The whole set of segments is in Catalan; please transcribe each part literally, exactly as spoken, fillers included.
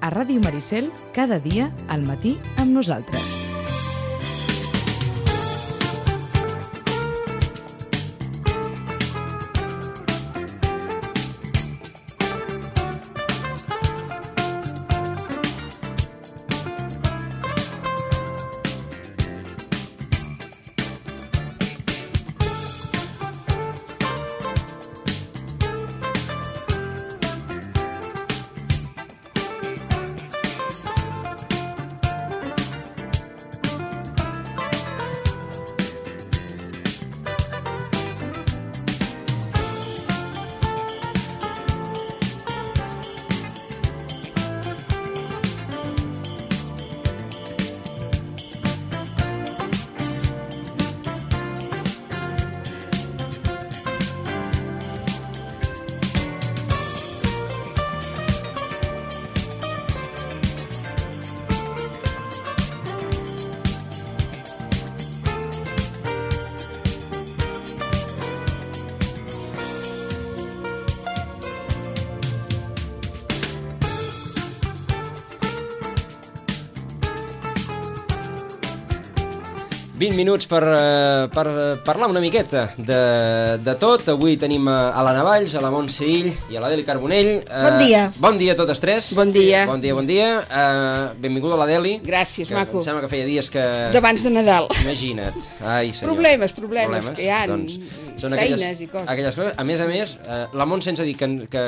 a Ràdio Maricel, cada dia al matí amb nosaltres. vint minuts per, per parlar una miqueta de, de tot. Avui tenim a l'Anna Valls, a la Montse Ill i a l'Adeli Carbonell. Bon dia. Uh, bon dia a totes tres. Bon dia. Bon dia, bon dia. Uh, benvinguda a l'Adeli. Gràcies, que maco. Em sembla que feia dies que... D'abans de Nadal. Imagina't. Ai, senyor. Problemes, problemes, problemes. que hi ha, doncs, són feines aquelles, i coses. Aquelles coses. A més a més, uh, la Montse ens ha dit que, que,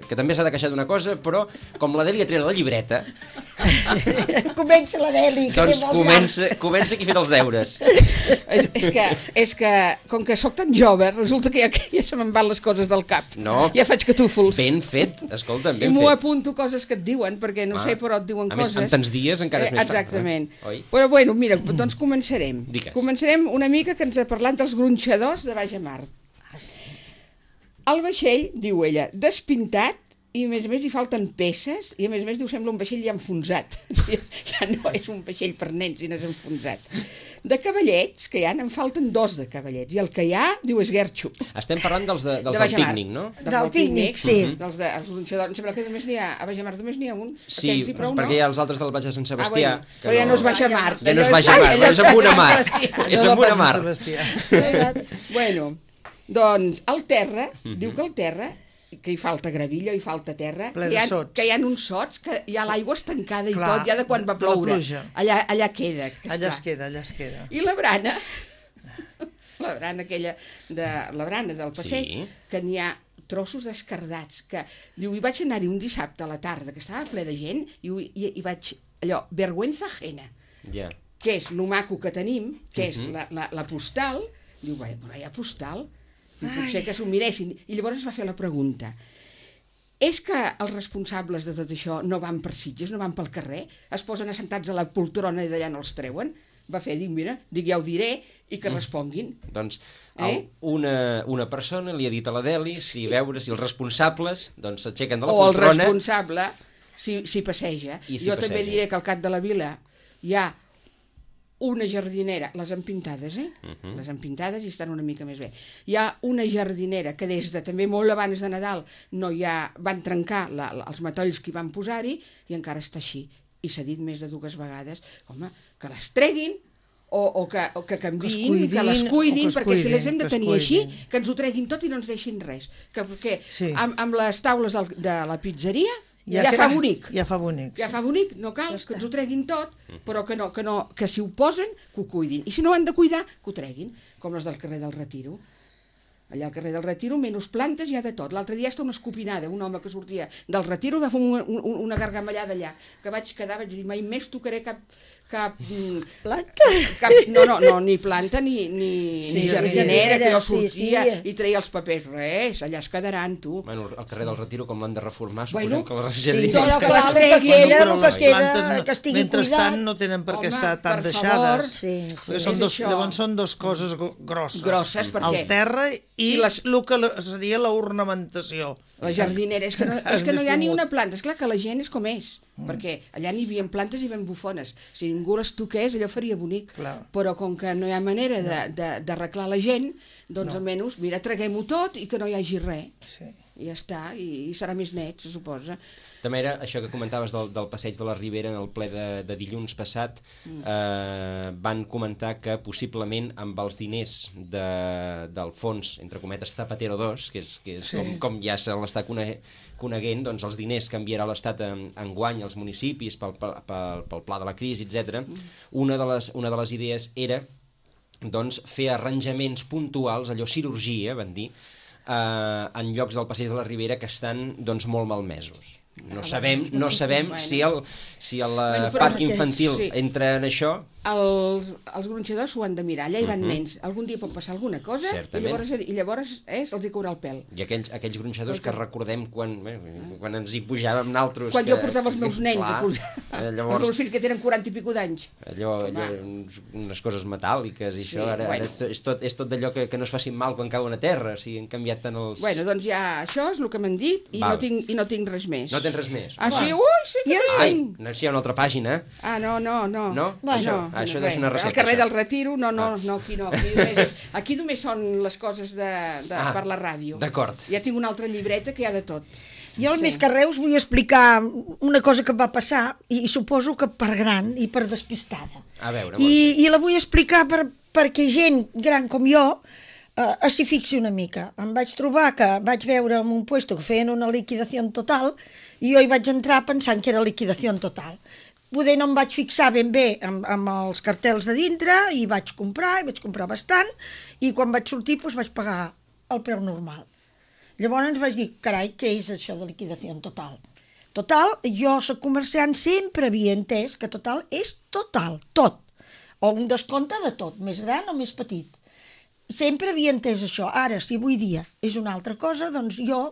que també s'ha de queixar d'una cosa, però com l'Adeli ha tret la llibreta... Comença l'Adeli. Doncs comença, comença qui ha fet els deures. És, és, que, és que, com que sóc tan jove, resulta que ja, ja se me'n van les coses del cap. No. Ja faig catúfols. Ben fet, escolta'm, ben I m'ho fet. apunto coses que et diuen, perquè no Ah. sé, però et diuen A més, coses. amb tants dies encara és més fàcil. Exactament. Eh? Oi? Però bueno, mira, doncs començarem. Digues. Començarem una mica que ens ha parlat dels gronxadors de baix a mar. El vaixell, diu ella, despintat, i a més a més hi falten peces, i a més a més diu sembla un vaixell ja enfonsat. Ja no és un vaixell per nens, sinó és enfonsat. De cavallets, que hi ha, en falten dos de cavallets, i el que hi ha, diu, és guerxo. Estem parlant dels, de, dels De del baix a mar. pícnic, no? Dels Del pícnic, sí. Dels de, els gronxadors, em sembla que només n'hi ha, a baix a mar només n'hi ha uns. Sí, Aquells i prou, perquè no? hi ha els altres del Baix de Sant Sebastià. Ah, bueno, però ja no és baix a mar. Ja no és baix a mar, allò és amb una mar. Sebastià. És amb una mar. Bueno, doncs al terra, diu que al terra, que hi falta gravilla, hi falta terra, Ple que hi, de ha, sots. que hi ha uns sots, que hi ha l'aigua estancada i Clar, tot, ja de quan va de la ploure. pluja. Allà, allà queda. Que Allà es esclar. queda, allà es queda. I la brana, la brana aquella, de, la brana del passeig, Sí. que n'hi ha trossos descardats, que diu, hi vaig anar-hi un dissabte a la tarda, que estava ple de gent, i, i, i vaig, allò, vergüenza ajena, Ja. que és lo maco que tenim, que és Mhm. la, la, la postal, diu, vai, vaya postal, diu, potser que s'ho miressin, i llavors es va fer la pregunta, és que els responsables de tot això no van per Sitges, no van pel carrer, es posen assentats a la poltrona i d'allà no els treuen? Va fer, dic, mira, dic, ja ho diré, i que responguin. Doncs Eh? el, una, una persona li ha dit a l'Adeli si veure si els responsables doncs s'aixequen de la O el poltrona. responsable, si, si passeja. I si jo també passeja. diré que al cap de la vila hi ha una jardinera, les han pintades, eh? Uh -huh. Les han pintades i estan una mica més bé. Hi ha una jardinera que des de també molt abans de Nadal no hi ha, van trencar la, la, els matolls que hi van posar-hi i encara està així. I s'ha dit més de dues vegades, home, que les treguin o, o, que, o que canviïn, que, cuidin, que les cuidin, o que es perquè si cuidin, les hem de que es tenir així, cuidin. que ens ho treguin tot i no ens deixin res. Que, perquè Sí. amb, amb les taules del, de la pizzeria ja, Ja ja fa bonic. Ja fa bonic. Ja fa bonic, no cal Ja que està. ens ho treguin tot, però que no, que no, que si ho posen, que ho cuidin. I si no ho han de cuidar, que ho treguin, com les del carrer del Retiro. Allà al carrer del Retiro, menys plantes, hi ha de tot. L'altre dia està una escopinada, un home que sortia del Retiro va fer una, una, una gargamellada allà, que vaig quedar, vaig dir, mai més tocaré cap... cap Planta? Cap, no, no, no, ni planta ni, ni, Sí, ni jardinera, que jo sí, sortia sí. i treia els papers. Res, allà es quedaran, tu. Bueno, al carrer del Retiro, com l'han de reformar, Bueno, suposem que les Sí, jardines... però que que les les treguin. queda, Bueno, el que però queda, les que estigui Mentrestant cuidat. no tenen per què Home, estar tan per deixades. favor. Sí, sí. És Són dos, això. llavors són dues coses gro- grosses. Grosses, perquè- El terra i, I les- el que la- seria l'ornamentació. La jardinera, és que no, és que no hi ha més ni fumut. una planta. És clar que la gent és com és, mm. perquè allà n'hi havia plantes i ben bufones. Si ningú les toqués, allò faria bonic. Clar. Però com que no hi ha manera de- de- d'arreglar la gent, doncs no. almenys, mira, traguem-ho tot i que no hi hagi res. Sí. i ja està, i, i serà més net, se suposa. També era això que comentaves del, del passeig de la Ribera en el ple de, de dilluns passat, mm. eh, van comentar que possiblement amb els diners de, del fons, entre cometes, Zapatero dos, que és, que és sí. com, com ja se l'està coneguent, doncs els diners que enviarà l'Estat en, enguany als municipis pel, pel, pel, pel pla de la crisi, etcètera. Mm. Una, de les, una de les idees era doncs, fer arranjaments puntuals, allò cirurgia, van dir, eh, en llocs del passeig de la Ribera que estan doncs, molt malmesos. No sabem, no sabem si el, si el bueno, parc infantil sí. entra en això. El, els gronxadors s'ho han de mirar, allà hi van uh -huh. nens. Algun dia pot passar alguna cosa i llavors, i llavors eh, se'ls hi caurà el pèl. I aquells, aquells gronxadors que recordem quan, bé, quan ens hi pujàvem naltros... Quan que, jo portava els meus nens, clar, a llavors, els meus fills que tenen quaranta i pico d'anys. Allò, allò unes coses metàl·liques i sí, això, ara, bueno. ara és tot, és tot d'allò que, que no es facin mal quan cauen a terra, o sigui, han canviat tant els... Bueno, doncs ja això és el que m'han dit i no, tinc, i no tinc res més. No tens res més? Ah, sí? Ui, sí que Ai, no, si hi ha una altra pàgina. Ah, no, no, no. No? Bueno, això, no, això no, deu ser una recepta. Al carrer això. del Retiro, no, no, ah. no, aquí no. Aquí només, és, aquí només són les coses de, de, ah, per la ràdio. D'acord. Ja tinc una altra llibreta que hi ha de tot. Jo, al sí. més que res, us vull explicar una cosa que va passar, i, i suposo que per gran i per despistada. A veure, I, I la vull explicar per, perquè gent gran com jo eh, s'hi fixi una mica. Em vaig trobar que vaig veure en un puesto que feien una liquidació total i jo hi vaig entrar pensant que era liquidació total. Poder no em vaig fixar ben bé amb, amb els cartels de dintre i vaig comprar, i vaig comprar bastant, i quan vaig sortir doncs, vaig pagar el preu normal. Llavors ens vaig dir, carai, què és això de liquidació total? Total, jo soc comerciant, sempre havia entès que total és total, tot. O un descompte de tot, més gran o més petit. Sempre havia entès això. Ara, si avui dia és una altra cosa, doncs jo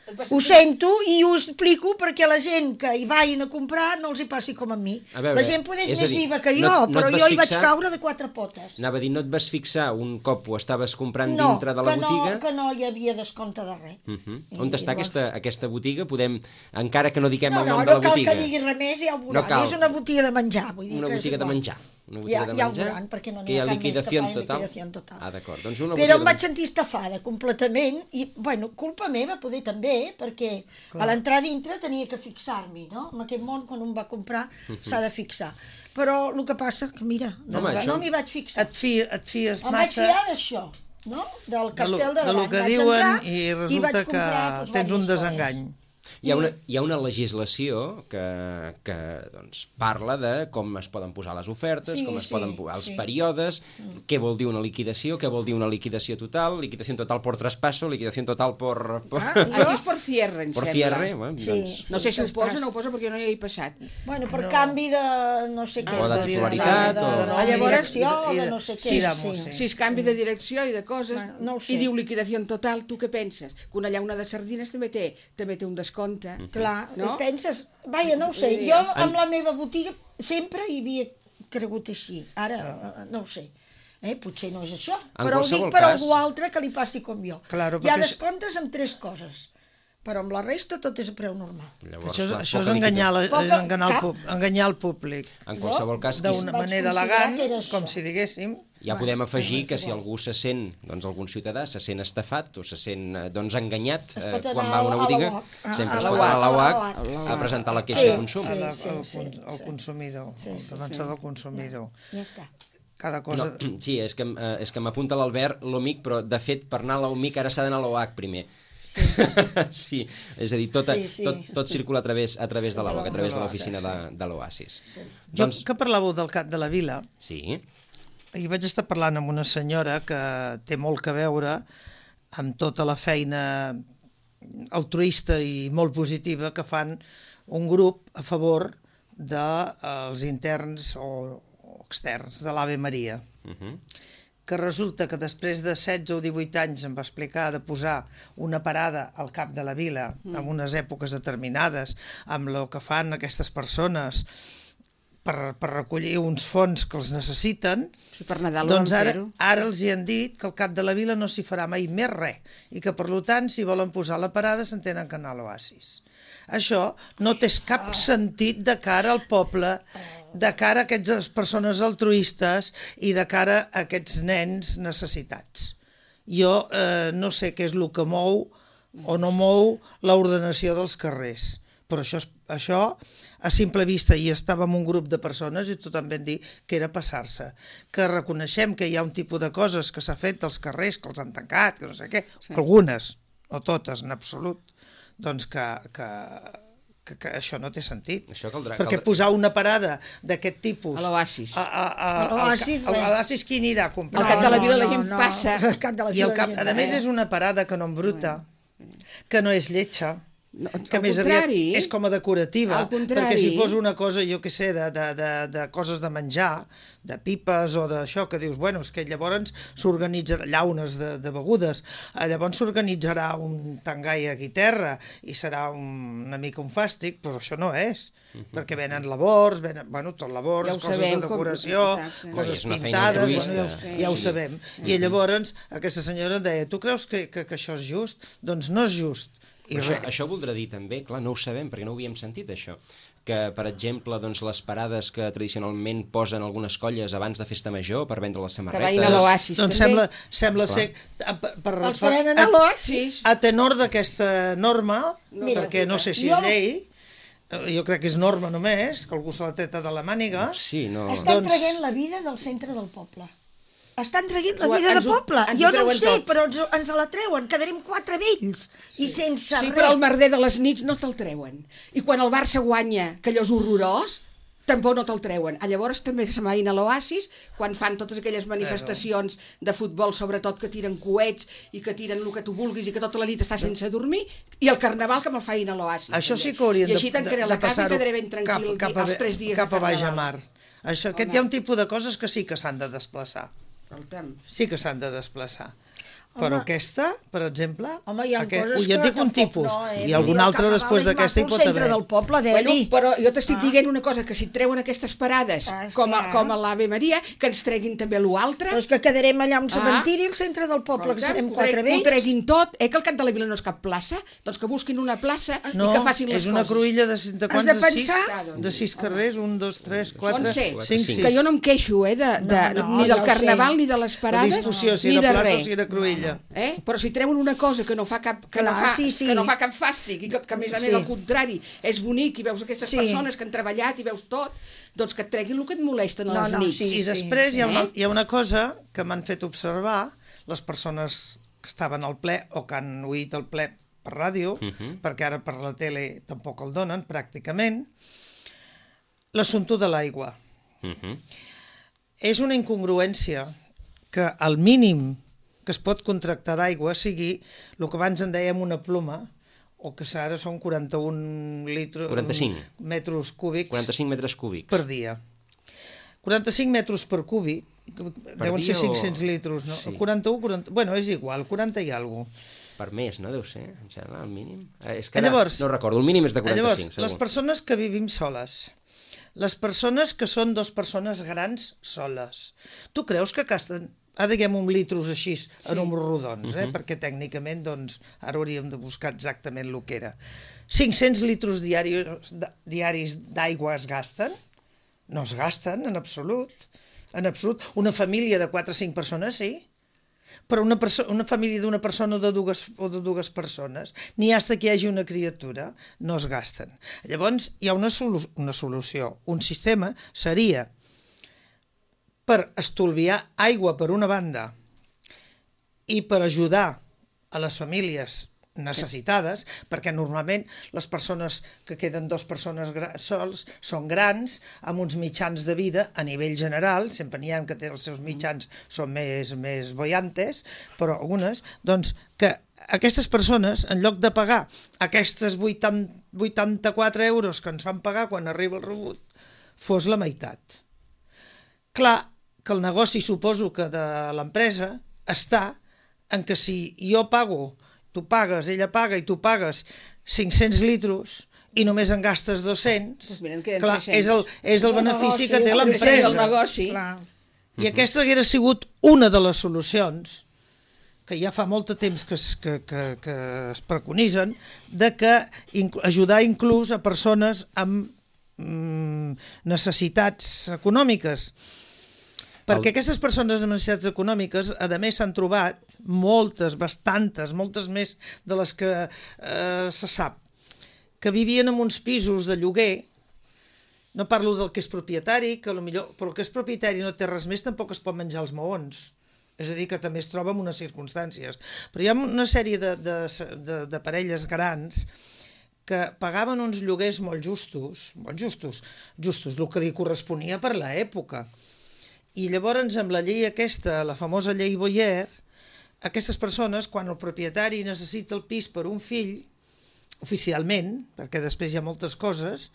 ho sento i ho explico perquè la gent que hi vagin a comprar no els hi passi com a mi. A veure, la gent poder és més dir, viva que jo, no, no però jo hi vaig caure de quatre potes. Anava a dir, no et vas fixar un cop ho estaves comprant no, dintre de la botiga? No, que no hi havia descompte de res. Uh -huh. On està llavors... aquesta, aquesta botiga? Podem, encara que no diguem no, el nom no, de la no botiga. No, botiga. cal que digui res més, ja ho veuran. No és una botiga de menjar. Vull dir una que botiga de menjar. Una botiga ja, de ja menjar, ho veuran, perquè no n'hi ha, ha cap més que fa liquidació total. Ah, d'acord. Doncs una però em vaig de... sentir estafada completament i, bueno, culpa meva poder també, perquè clar. A l'entrar dintre tenia que fixar-m'hi, no? En aquest món, quan un va comprar, uh -huh. s'ha de fixar. Però el que passa que, mira, Home, no, això... no m'hi vaig fixar. Et, fi, et fies em massa... Em vaig fiar d'això, no? Del cartel de, de, de lo que vaig diuen entrar, i resulta i comprar, que tens un desengany. Coses. Hi ha, una, hi ha una legislació que, que doncs, parla de com es poden posar les ofertes, sí, com es sí, poden posar els sí. períodes, mm. què vol dir una liquidació, què vol dir una liquidació total, liquidació total por traspasso, liquidació total por... por... Ah, aquí és por cierre, em por sembla. Cierre, bueno, sí, doncs... sí, no sé si ho posa o no ho posa perquè no hi he passat. Bueno, per no. canvi de no sé què. O de titularitat, de, de, o... de, de, de direcció, de no sé què. Si, sí, sí. si es canvi de direcció i de coses, bueno, no sé. i diu liquidació total, tu què penses? Que una llauna de sardines també té, també té un descompte. Mm -hmm. Clar, no? I penses, vaja, no ho sé, jo amb la meva botiga sempre hi havia cregut així, ara no ho sé, eh? Potser no és això, en però ho dic per cas... algú altre que li passi com jo. Claro, hi ha descomptes amb tres coses, però amb la resta tot és a preu normal. Llavors, això és, clar, això és enganyar, la, és enganyar, el, pub, enganyar el públic. En qualsevol cas... D'una manera elegant, com si diguéssim... Ja podem afegir que si algú se sent, doncs algun ciutadà se sent estafat o se sent doncs, enganyat eh, quan va a una botiga, a sempre es pot anar a la U A C a presentar la queixa de consum. Sí, sí, sí, el consumidor, el defensor del consumidor. Ja està. Cada cosa... No, sí, és que, eh, és que m'apunta l'Albert, l'O M I C, però de fet per anar a l'O M I C ara s'ha d'anar a l'O A C primer. Sí. Sí, és a dir, tot, sí, sí. tot, tot circula a través, a través de l'O A C, a través de l'oficina de, de l'Oasis. Sí. Doncs... Jo que parlàveu del Cap de la Vila, sí. I vaig estar parlant amb una senyora que té molt que veure amb tota la feina altruista i molt positiva que fan un grup a favor dels interns o externs de l'Ave Maria. Uh-huh. Que resulta que després de setze o divuit anys em va explicar de posar una parada al Cap de la Vila mm. en unes èpoques determinades, amb el que fan aquestes persones per, per recollir uns fons que els necessiten, sí, per Nadal doncs ara, ara els hi han dit que al Cap de la Vila no s'hi farà mai més res i que per tant si volen posar la parada s'entenen que anar a l'Oasis. Això no té cap sentit de cara al poble, de cara a aquestes persones altruistes i de cara a aquests nens necessitats. Jo eh, no sé què és el que mou o no mou l'ordenació dels carrers. Però això, això a simple vista, i estàvem un grup de persones i tothom vam dir que era passar-se, que reconeixem que hi ha un tipus de coses que s'ha fet dels carrers, que els han tancat, que no sé què, sí. Algunes, no totes, en absolut, doncs que, que, que, que això no té sentit. Això caldrà, perquè caldrà... posar una parada d'aquest tipus... A l'Oasis. A, a, a, A l'Oasis, a l'Oasis qui anirà a comprar? Al cap de la vila no, la gent no, passa. Al cap de la I vila el cap, la gent a més va. és una parada que no embruta, que no és lletja, No, que al més aviat contrari. és com a decorativa, Al contrari. perquè si fos una cosa, jo què sé, de, de, de, de coses de menjar, de pipes o d'això, que dius, bueno, és que llavors s'organitzarà, llaunes de, de begudes, eh, llavors s'organitzarà un tangai aquí terra i serà un, una mica un fàstic, però això no és, uh-huh. perquè venen labors, venen, bueno, tot labors, Ja ho coses sabem, de decoració, com... coses és una feina pintades, altruista. bueno, ja, Sí. ja ho sabem. I llavors aquesta senyora deia, tu creus que, que, que això és just? Doncs no és just. I Això, res. això voldrà dir també, clar, no ho sabem perquè no ho havíem sentit això, que per exemple doncs, les parades que tradicionalment posen algunes colles abans de festa major per vendre les Que samarretes... vagin a l'Oasis, Doncs també. sembla, sembla ser... Per, per, Els faran anar a l'Oasis. A tenor d'aquesta norma, Mira, perquè no sé si jo- és llei, eh, jo crec que és norma només, que algú se l'ha treta de la màniga. Sí, no... Estan Doncs- traient la vida del centre del poble. Estan traient la Ens ho- vida ens de ho- poble. ens ho Jo no ho treuen sé, tot. però ens, ens la treuen. Quedarem quatre vells i sense Sí, res. però el merder de les nits no te'l treuen. I quan el Barça guanya, que allò és horrorós, tampoc no te'l treuen. A llavors també se'n vagin a l'Oasis, quan fan totes aquelles manifestacions de futbol, sobretot que tiren coets i que tiren el que tu vulguis i que tota la nit està sense dormir, i el carnaval que me'l facin a l'Oasis. Això també. sí que haurien I de, així de, tancaré de la casa i passar-ho quedaré ben tranquil cap, cap, els tres dies cap a de baix a carnaval. mar. Això, aquest Home. hi ha un tipus de coses que sí que s'han de desplaçar. Escolta'm. Sí que s'han de desplaçar. Però Home. aquesta, per exemple... Home, hi ha aquest, coses jo et que dic un tampoc tipus, no, eh? i algun Vull dir, el altre carnaval després és d'aquesta hi maco, pot el centre haver. del poble, Bueno, Deli. però jo t'estic Ah. dient una cosa, que si et treuen aquestes parades, Ah, és com, a, clar. com a l'Ave Maria, que ens treguin també l'altre. Però és que quedarem allà a un Ah. cementiri al centre del poble, que serem ho quatre trec- vells. Ho treguin tot, eh, que el cap de la vila no és cap plaça, doncs que busquin una plaça No, i que facin les és una coses. cruïlla de, de, Has quants, de de, sis, pensar- de sis carrers, un, dos, tres, quatre, Montse, cinc, sí. sis. Que jo no em queixo, eh, de, de, No, no, ni ja del ho carnaval, sé. ni de les La parades, discussió, si ni era de plaça res. o si era cruïlla. Eh? Però si treuen una cosa que no fa cap, que no Clar, fa, sí, sí. que no fa cap fàstic i que, que a més a més Sí. al contrari és bonic i veus aquestes Sí. persones que han treballat i veus tot, doncs que et treguin el que et molesten a No, les no, nits. sí. I després hi ha, una, Eh? hi ha una cosa que m'han fet observar les persones que estaven al ple o que han oït el ple per ràdio, Mhm. perquè ara per la tele tampoc el donen, pràcticament, l'assumpte de l'aigua. Mhm. És una incongruència que el mínim que es pot contractar d'aigua sigui el que abans en dèiem una ploma, o que ara són quaranta-un litres, quaranta-cinc. metres cúbics quaranta-cinc metres cúbics. per dia. quaranta-cinc metres per cúbic, deuen dia ser cinc-cents o- litres, no? Sí. quaranta-u, quaranta... Bueno, és igual, quaranta i alguna cosa. Per mes, no deu ser, em sembla, el mínim. Eh, és que ara Llavors, no recordo, el mínim és de Llavors, quaranta-cinc, les segur. persones que vivim soles, les persones que són dos persones grans soles, tu creus que gasten, ah, diguem, un litros així, sí. en números rodons, eh? Mhm. perquè tècnicament, doncs, ara hauríem de buscar exactament el que era. cinc-cents litres diaris, diaris d'aigua es gasten? No es gasten, en absolut. En absolut. Una família de quatre o cinc persones, sí. Però una, perso una família d'una persona o de dues, o de dues persones, ni hasta que hi hagi una criatura, no es gasten. Llavors, hi ha una, solu una solució. Un sistema seria per estolviar aigua per una banda i per ajudar a les famílies necessitades, perquè normalment les persones que queden dues persones sols són grans, amb uns mitjans de vida a nivell general, sempre n'hi ha que té els seus mitjans són més, més boiantes, però algunes, doncs, que aquestes persones, en lloc de pagar aquestes vuitanta-quatre euros que ens fan pagar quan arriba el rebut, fos la meitat. Clar que el negoci, suposo que de l'empresa, està en que si jo pago, tu pagues, ella paga i tu pagues cinc-cents litres i només en gastes dos-cents, Doncs mira, en queden clar, tres-cents. és el, és el benefici que té El l'empresa. negoci. Clar. I aquesta hauria sigut una de les solucions que ja fa molt de temps que es, que, que, que es preconitzen, de que inc ajudar inclús a persones amb mm, necessitats econòmiques. Perquè aquestes persones amb necessitats econòmiques, a més, s'han trobat moltes, bastantes, moltes més de les que eh, se sap, que vivien en uns pisos de lloguer. No parlo del que és propietari, que potser, però el que és propietari no té res més, tampoc es pot menjar els maons. És a dir, que també es troba en unes circumstàncies. Però hi ha una sèrie de, de, de, de parelles grans que pagaven uns lloguers molt justos, molt justos, justos, el que li corresponia per l'època. I llavors, amb la llei aquesta, la famosa llei Boyer, aquestes persones, quan el propietari necessita el pis per un fill, oficialment, perquè després hi ha moltes coses,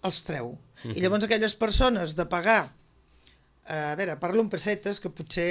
els treu. Mm-hmm. I llavors aquelles persones de pagar, a veure, parlo en pessetes, que potser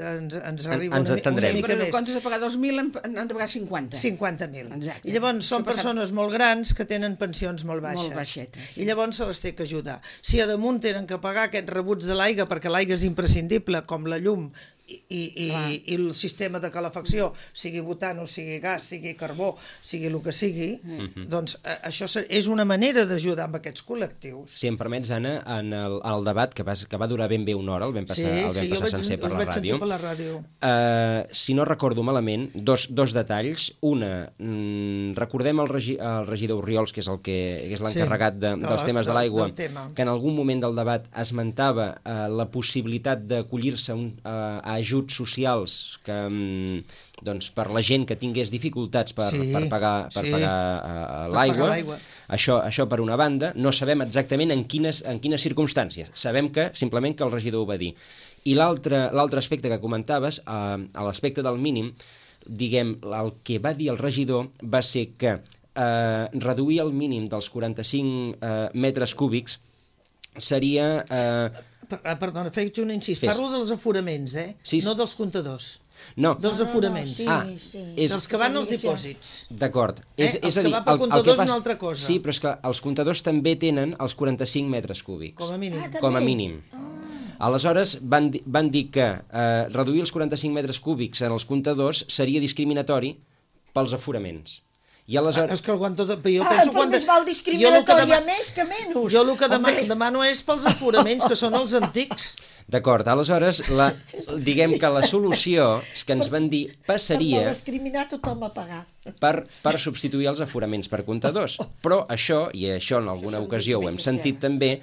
ens, ens arriba ens una, una mica Però més. en comptes de pagar dos mil, han han de pagar cinquanta. cinquanta mil. Exacte. I llavors són Això persones molt grans que tenen pensions molt baixes. Molt baixetes. I llavors se les té que ajudar. Si a damunt tenen que pagar aquests rebuts de l'aigua, perquè l'aigua és imprescindible, com la llum i, i, i, i el sistema de calefacció, sigui butano, sigui gas, sigui carbó, sigui el que sigui, mm-hmm. doncs a, això és una manera d'ajudar amb aquests col·lectius. Si em permets, Anna, en el, en el debat, que va, que va durar ben bé una hora, el vam passar, sí, el vam sí, passar vaig, sencer per la ràdio, per la ràdio. Uh, si no recordo malament, dos, dos detalls. Una, mm, recordem el, regi, el regidor Oriols, que és el que, que és l'encarregat de, sí, dels temes de l'aigua, que en algun moment del debat esmentava uh, la possibilitat d'acollir-se uh, a ajuts socials que, doncs, per la gent que tingués dificultats per, sí, per pagar, per sí. pagar uh, l'aigua. Això, això per una banda, no sabem exactament en quines, en quines circumstàncies. Sabem que simplement que el regidor ho va dir. I l'altre aspecte que comentaves, uh, a l'aspecte del mínim, diguem, el que va dir el regidor va ser que uh, reduir el mínim dels quaranta-cinc uh, metres cúbics seria... Uh, Perdona, faig un incís. Fes. Parlo dels aforaments, eh? Sí, sí. No dels comptadors. No. Dels aforaments. No, no, ah, sí, sí. És... Dels que van als dipòsits. D'acord. Eh? És, Els és a dir, que van per el, comptadors el que és una altra cosa. Sí, però és que els comptadors també tenen els quaranta-cinc metres cúbics. Com a mínim. Ah, Com a mínim. Ah. Aleshores, van, di van dir que eh, reduir els quaranta-cinc metres cúbics en els comptadors seria discriminatori pels aforaments. I aleshores... Ah, és que quan tot... Jo Ah, penso però quan... més val discriminatòria més que menys. Jo el que demano, demano és pels aforaments, que són els antics. D'acord, aleshores, la, diguem que la solució que ens van dir passaria... Per no discriminar tothom a pagar. Per, per substituir els aforaments per comptadors. Però això, i això en alguna ocasió ho hem sentit també,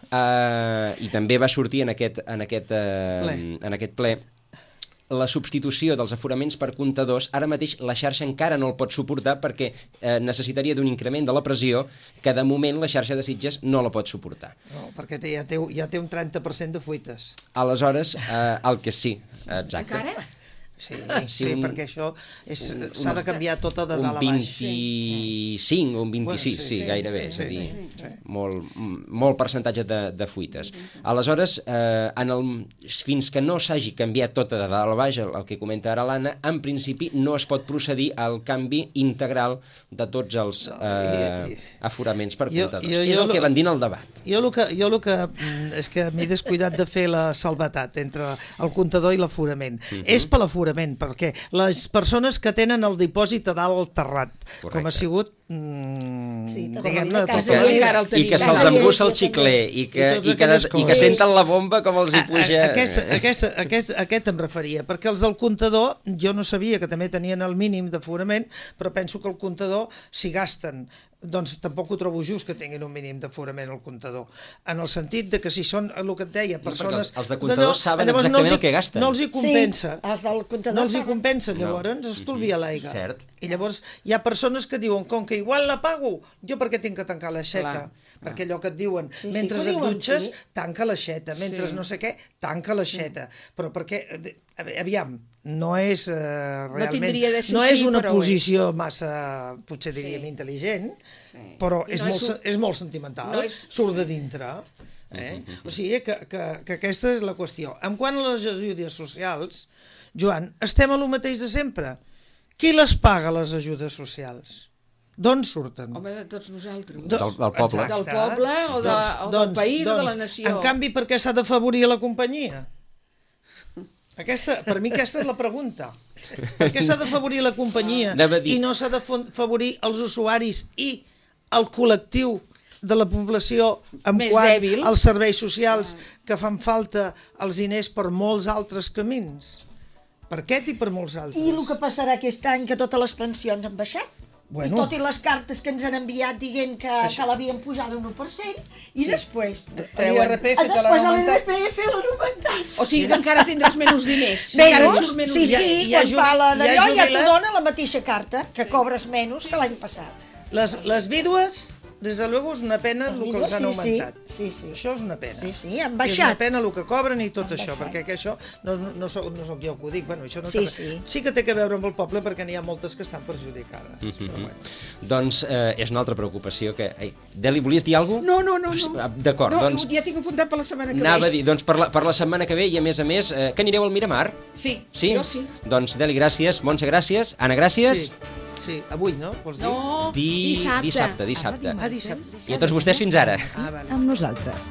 eh, i també va sortir en aquest, en aquest, eh, ple. en aquest ple, la substitució dels aforaments per comptadors, ara mateix la xarxa encara no el pot suportar perquè eh, necessitaria d'un increment de la pressió que de moment la xarxa de Sitges no la pot suportar. No, perquè té, ja, té, ja té un trenta per cent de fuites. Aleshores, eh, el que sí, exacte. Encara? Sí, Sí, sí, un- perquè això s'ha de canviar tota de Un dalt a baix. vint-i-cinc o un vint-i-sis, Bueno, sí, sí, sí, gairebé, sí, és a dir, sí, sí. molt, molt percentatge de, de fuites. Aleshores, eh, en el, fins que no s'hagi canviat tota de dalt a baix, el, el que comenta ara l'Anna, en principi no es pot procedir al canvi integral de tots els eh, aforaments per Jo- comptadors. jo- És jo el lo- que van dir en el debat. Jo el que, jo el que mm, és que m'he descuidat de fer la salvetat entre el comptador i l'aforament. Uh -huh. És per l'aforament, perquè les persones que tenen el dipòsit a dalt al terrat, Correcte. com ha sigut, mm, Sí, tota la diguem-ne, vida, tot casa el- i encara el I tenim. que se'ls Casa embussa el i- xicler i que, I totes i que, aquelles i que coses. senten la bomba com els hi puja... A, a, aquesta, aquesta, aquest, aquest em referia, perquè els del comptador, jo no sabia que també tenien el mínim d'aforament, però penso que el comptador, si gasten, doncs tampoc ho trobo just que tinguin un mínim d'aforament al comptador. En el sentit de que si són, el que et deia, perquè persones... els- els de comptadors saben llavors exactament els hi- el que gasten. No els hi compensa. Sí, els del comptador No els hi saben. compensa, No. llavors estalvia l'aigua. Cert. I llavors hi ha persones que diuen, com que igual la pago, jo per què tinc que tancar l'aixeta? Clar, Perquè allò que et diuen, Sí, sí, mentre que ho et diuen, dutxes, sí. tanca l'aixeta, mentre Sí. no sé què, tanca l'aixeta. Però perquè, eh, aviam, no és eh, realment... tindria de ser no és així, una però ho posició massa, potser diríem, Sí. intel·ligent, Sí. però I és, no molt, és un- se- és molt sentimental, no és- surt de dintre. Eh? O sigui que, que, que aquesta és la qüestió. En quant a les ajudes socials, Joan, estem a lo mateix de sempre. Qui les paga, les ajudes socials? D'on surten? Home, de tots nosaltres. Do- Del- del poble. Del poble o, de, o del país o de la nació. En canvi, per què s'ha d'afavorir la companyia? Aquesta, per mi aquesta és la pregunta. Per què s'ha d'afavorir la companyia Anava a dir- i no s'ha d'afavorir els usuaris i el col·lectiu de la població en Més quant dèbil. als serveis socials que fan falta els diners per molts altres camins. Per aquest i per molts altres. I el que passarà aquest any, que totes les pensions han baixat. Bueno. I tot i les cartes que ens han enviat dient que, que l'havien pujat un u per cent, i després... L'I R P F te l'han Després l'I R augmentat. P F l'han augmentat. O sigui que encara tindràs menys diners. Si encara et Menys? surt menys Sí, diners. sí, Hi ha quan jubi- fa la hi ha d'allò ja t'ho jubilats. dona la mateixa carta, que cobres menys que l'any passat. Les, les vídues, des de luego, és una pena el que vídues, els han sí, sí, augmentat. sí, sí. Això és una pena. Sí, sí, han És una baixat. pena el que cobren i tot Han això, baixat. perquè que això no, no, no, soc, no soc jo que ho dic, bueno, això no Sí, té- sí. sí que té que veure amb el poble perquè n'hi ha moltes que estan perjudicades. Mhm. Però bueno. Doncs eh, és una altra preocupació que... Ei, Deli, volies dir alguna cosa? No, no, no. no. D'acord, no, doncs... Ja tinc apuntat per la setmana que Anava a ve. dir, doncs per la, per la setmana que ve i a més a més, eh, que anireu al Miramar? Sí, Sí? jo sí. Doncs Deli, gràcies, Montse, gràcies, Anna, gràcies. Sí, sí, avui, no? Vols dir? No, Di- dissabte. Dissabte, dissabte. Ah, dissabte. I a tots vostès fins ara. Ah, vale. Amb nosaltres.